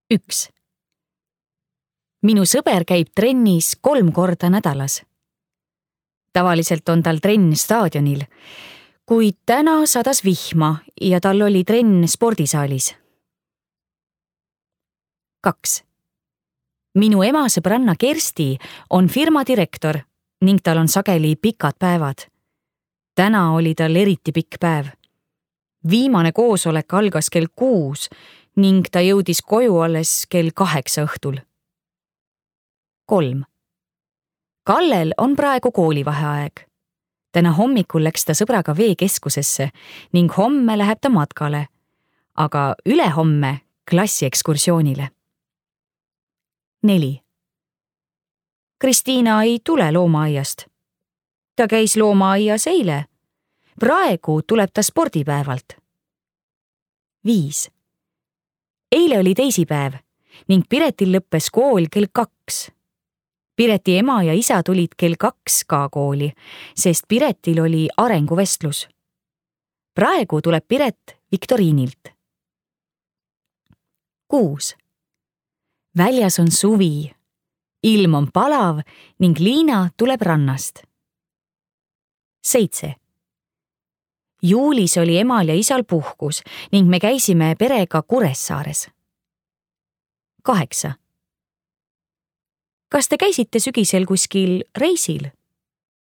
1. Minu sõber käib trennis 3 korda nädalas. Tavaliselt on tal trenn staadionil, kuid täna sadas vihma ja tal oli trenn spordisaalis. 2. Minu ema sõbranna Kersti on firma direktor ning tal on sageli pikad päevad. Täna oli tal eriti pikk päev. Viimane koosolek algas kell 6 ning ta jõudis koju alles kell 8 õhtul. 3. Kallel on praegu koolivaheaeg. Täna hommikul läks ta sõbraga veekeskusesse ning homme läheb ta matkale, aga ülehomme klassiekskursioonile. 4. Kristiina ei tule loomaaiast. Ta käis loomaaias eile. Praegu tuleb ta spordipäevalt. 5. Eile oli teisipäev ning Piretil lõppes kool kell 2. Pireti ema ja isa tulid kell 2 ka kooli, sest Piretil oli arenguvestlus. Praegu tuleb Piret viktoriinilt. 6. Väljas on suvi. Ilm on palav ning Liina tuleb rannast. 7. Juulis oli emal ja isal puhkus ning me käisime perega Kuressaares. 8. Kas te käisite sügisel kuskil reisil?